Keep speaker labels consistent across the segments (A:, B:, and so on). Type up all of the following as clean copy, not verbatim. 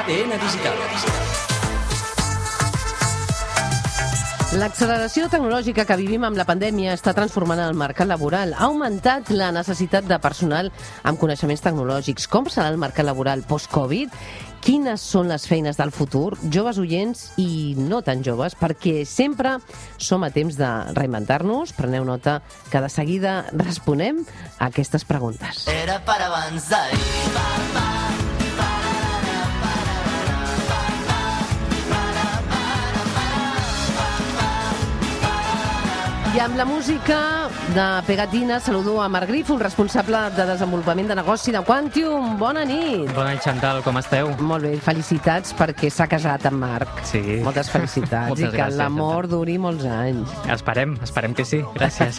A: ADN Digital.
B: L'acceleració tecnològica que vivim amb la pandèmia està transformant el mercat laboral. Ha augmentat la necessitat de personal amb coneixements tecnològics. Com serà el mercat laboral post-Covid? Quines són les feines del futur? Joves oients i no tan joves, perquè sempre som a temps de reinventar-nos. Preneu nota que de seguida responem a aquestes preguntes.
C: Era para avanzar.
B: I amb la música de Pegatina saludo a Marc Grif, un responsable de desenvolupament de negoci de Quantium. Bona nit.
D: Bona nit, Chantal, com esteu?
B: Molt bé, felicitats perquè s'ha casat amb Marc.
D: Sí.
B: Moltes felicitats.
D: Moltes
B: I que
D: gràcies,
B: l'amor duri molts anys.
D: Esperem que sí. Gràcies.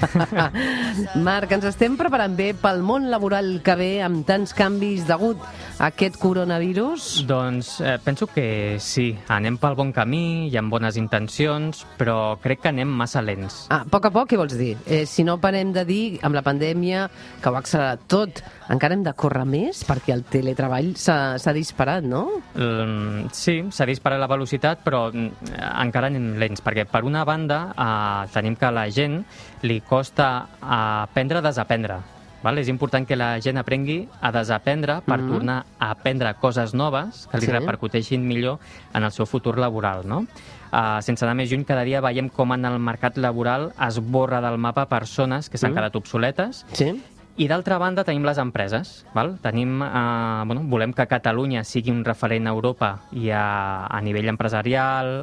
B: Marc, ens estem preparant bé pel món laboral que ve amb tants canvis degut a aquest coronavirus?
D: Doncs penso que sí. Anem pel bon camí, hi ha bones intencions, però crec que anem massa lents.
B: A poc, què vols dir? Si no parem de dir, amb la pandèmia, que ho ha accelerat tot, encara hem de córrer més? Perquè el teletreball s'ha disparat, no?
D: Sí, s'ha disparat la velocitat, però encara anem lents, perquè per una banda tenim que a la gent li costa aprendre a desaprendre. Val? És important que la gent aprengui a desaprendre per tornar a aprendre coses noves que li repercuteixin millor en el seu futur laboral, no? Sense anar més lluny, cada dia veiem com en el mercat laboral es borra del mapa persones que s'han quedat obsoletes.
B: Sí.
D: I d'altra banda tenim les empreses. Val? Volem que Catalunya sigui un referent a Europa i a nivell empresarial,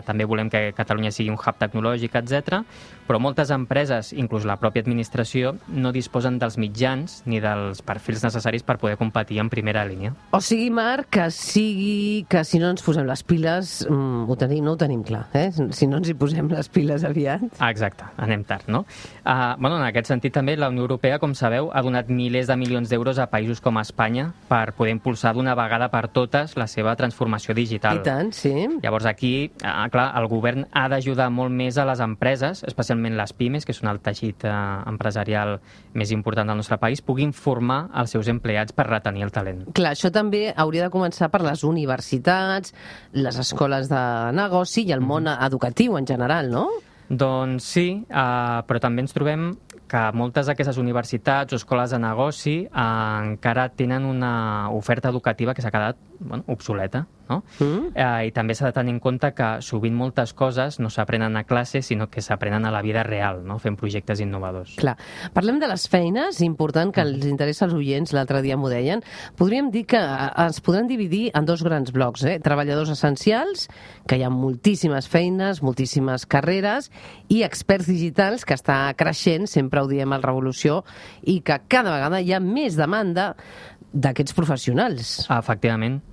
D: també volem que Catalunya sigui un hub tecnològic, etc. Però moltes empreses, inclús la pròpia administració, no disposen dels mitjans ni dels perfils necessaris per poder competir en primera línia.
B: O sigui, Marc, que si no ens posem les piles, no ho tenim clar, si no ens hi posem les piles aviat.
D: Exacte, anem tard, no? En aquest sentit també la Unió Europea, com sabeu, ha donat milers de milions d'euros a països com Espanya per poder impulsar d'una vegada per totes la seva transformació digital.
B: I tant, sí.
D: Llavors aquí, clar, el govern ha d'ajudar molt més a les empreses, especialment les pimes, que són el teixit empresarial més important del nostre país, puguin formar els seus empleats per retenir el talent.
B: Clar, això també hauria de començar per les universitats, les escoles de negoci i el món educatiu en general, no?
D: Doncs sí, però també ens trobem que moltes d'aquestes universitats o escoles de negoci encara tenen una oferta educativa que s'ha quedat obsoleta, no? I també s'ha de tenir en compte que sovint moltes coses no s'aprenen a classe, sinó que s'aprenen a la vida real, no? Fent projectes innovadors.
B: Clar. Parlem de les feines, important que els interessa als oients, l'altre dia m'ho deien. Podríem dir que es podran dividir en dos grans blocs, treballadors essencials, que hi ha moltíssimes feines, moltíssimes carreres, i experts digitals, que està creixent, sempre ho diem al Revolució, i que cada vegada hi ha més demanda d'aquests professionals.
D: Efectivament.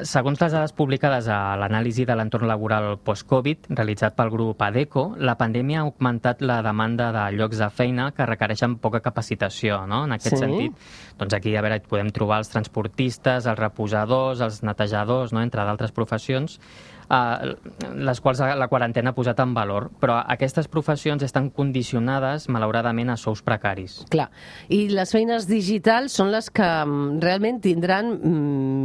D: Segons les dades publicades a l'anàlisi de l'entorn laboral post-Covid, realitzat pel grup ADECO, la pandèmia ha augmentat la demanda de llocs de feina que requereixen poca capacitació, no? En aquest sentit, doncs aquí podem trobar els transportistes, els reposadors, els netejadors, no? Entre d'altres professions, les quals la quarantena ha posat en valor, però aquestes professions estan condicionades, malauradament, a sous precaris.
B: Clar, i les feines digitals són les que realment tindran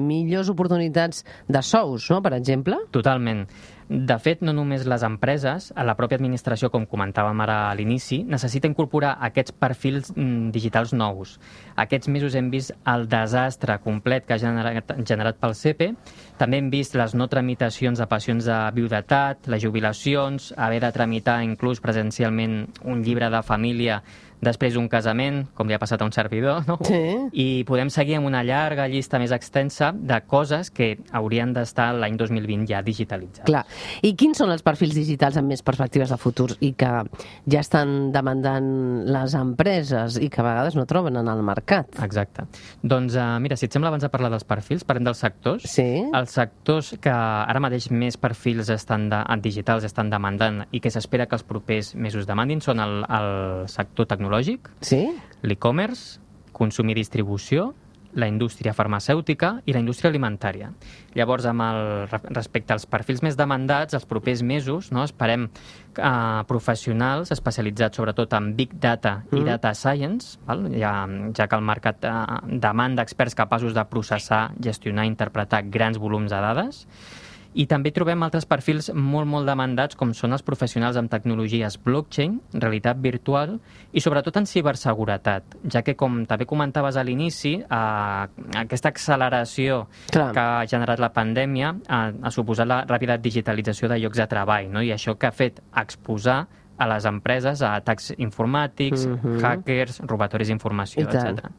B: millors oportunitats de sous, no?, per exemple?
D: Totalment. De fet, no només les empreses, a la pròpia administració, com comentàvem ara a l'inici, necessita incorporar aquests perfils digitals nous. Aquests mesos hem vist el desastre complet que ha generat pel CEPE. També hem vist les no tramitacions de pensions de viudetat, les jubilacions, haver de tramitar inclús presencialment un llibre de família després d'un casament, com li ha passat a un servidor, no?
B: Sí.
D: I podem seguir amb una llarga llista més extensa de coses que haurien d'estar l'any 2020 ja digitalitzades.
B: Clar. I quins són els perfils digitals amb més perspectives de futur i que ja estan demandant les empreses i que a vegades no troben en el mercat?
D: Exacte. Doncs mira, si et sembla, abans de parlar dels perfils, parlem dels sectors.
B: Sí.
D: Els sectors que ara mateix més perfils digitals estan demandant i que s'espera que els propers mesos demandin són el sector tecnològic,
B: sí,
D: l'e-commerce, consum i distribució, la indústria farmacèutica i la indústria alimentària. Llavors, respecte als perfils més demandats, els propers mesos, no, esperem professionals especialitzats sobretot en Big Data i Data Science, val? Ja que el mercat demanda experts capaços de processar, gestionar i interpretar grans volums de dades. I també trobem altres perfils molt demandats, com són els professionals en tecnologies blockchain, realitat virtual i sobretot en ciberseguretat, ja que, com també comentaves a l'inici, aquesta acceleració que ha generat la pandèmia ha suposat la ràpida digitalització de llocs de treball, no? I això que ha fet exposar a les empreses a atacs informàtics, hackers, robatoris d'informació, etc.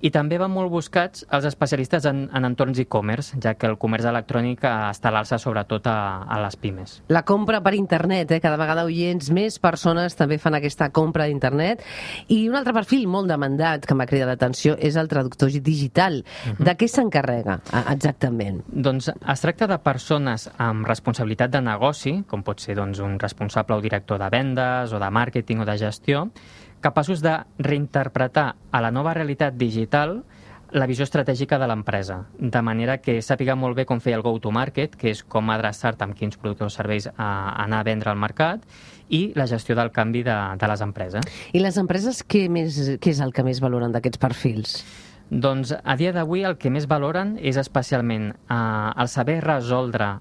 D: I també van molt buscats els especialistes en entorns e-commerce, ja que el comerç electrònic està a l'alça sobretot a les pimes.
B: La compra per internet, cada vegada oients, més persones també fan aquesta compra d'internet. I un altre perfil molt demandat que m'ha cridat l'atenció és el traductor digital. De què s'encarrega exactament?
D: Doncs es tracta de persones amb responsabilitat de negoci, com pot ser un responsable o director de vendes o de màrqueting o de gestió, capaços de reinterpretar a la nova realitat digital la visió estratègica de l'empresa, de manera que sàpiga molt bé com fer el go-to-market, que és com adreçar-te amb quins productes o serveis a anar a vendre al mercat, i la gestió del canvi de les empreses.
B: I les empreses què és el que més valoren d'aquests perfils?
D: Doncs a dia d'avui el que més valoren és especialment el saber resoldre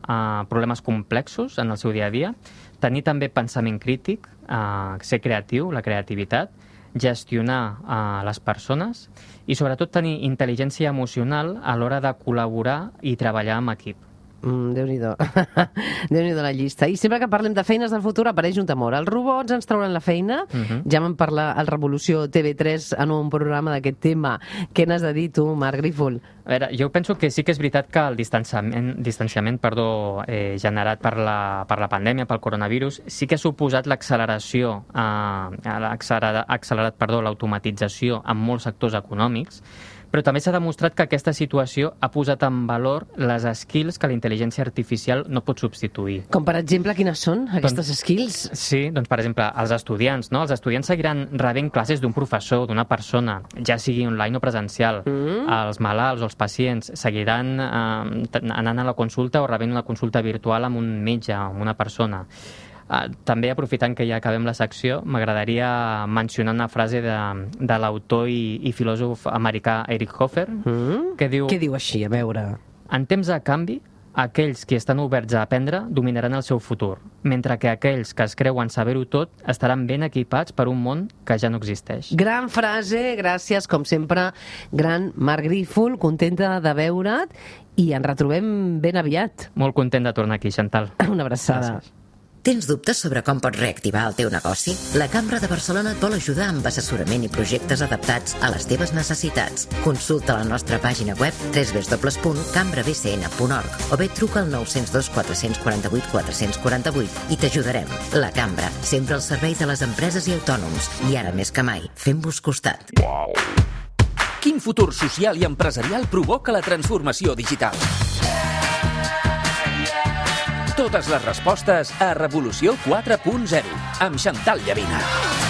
D: problemes complexos en el seu dia a dia, tenir també pensament crític, ser creatiu, la creativitat, gestionar les persones i sobretot tenir intel·ligència emocional a l'hora de col·laborar i treballar en equip.
B: Déu-n'hi-do. Déu-n'hi-do la llista. I sempre que parlem de feines del futur apareix un temor. Els robots ens trauran la feina. Ja vam parlar al Revolució TV3 en un programa d'aquest tema. Què n'has de dir tu, Marc Grífol?
D: A veure, jo penso que sí que és veritat que el distanciament generat per la pandèmia, pel coronavirus, sí que ha suposat l'acceleració, l'automatització en molts sectors econòmics, però també s'ha demostrat que aquesta situació ha posat en valor les skills que la intel·ligència artificial no pot substituir.
B: Com, per exemple, quines són aquestes skills?
D: Sí, doncs, per exemple, els estudiants, no? Els estudiants seguiran rebent classes d'un professor, d'una persona, ja sigui online o presencial. Els malalts o els pacients seguiran anant a la consulta o rebent una consulta virtual amb un metge, amb una persona. També, aprofitant que ja acabem la secció, m'agradaria mencionar una frase de l'autor i filòsof americà Eric Hoffer, que diu...
B: Què diu així? A veure...
D: En temps de canvi, aquells que estan oberts a aprendre dominaran el seu futur, mentre que aquells que es creuen saber-ho tot estaran ben equipats per un món que ja no existeix.
B: Gran frase, gràcies, com sempre, gran Marc Grífol, contenta de veure't i ens retrobem ben aviat.
D: Molt content de tornar aquí, Chantal.
B: Una abraçada.
D: Gràcies.
A: Tens dubtes sobre com pots reactivar el teu negoci? La Cambra de Barcelona et vol ajudar amb assessorament i projectes adaptats a les teves necessitats. Consulta la nostra pàgina web www.cambrabcn.org o bé truca al 902 448 448 i t'ajudarem. La Cambra, sempre al servei de les empreses i autònoms. I ara més que mai, fem-vos costat.
C: Quin futur social i empresarial provoca la transformació digital? Totes les respostes a Revolució 4.0 amb Chantal Llavina.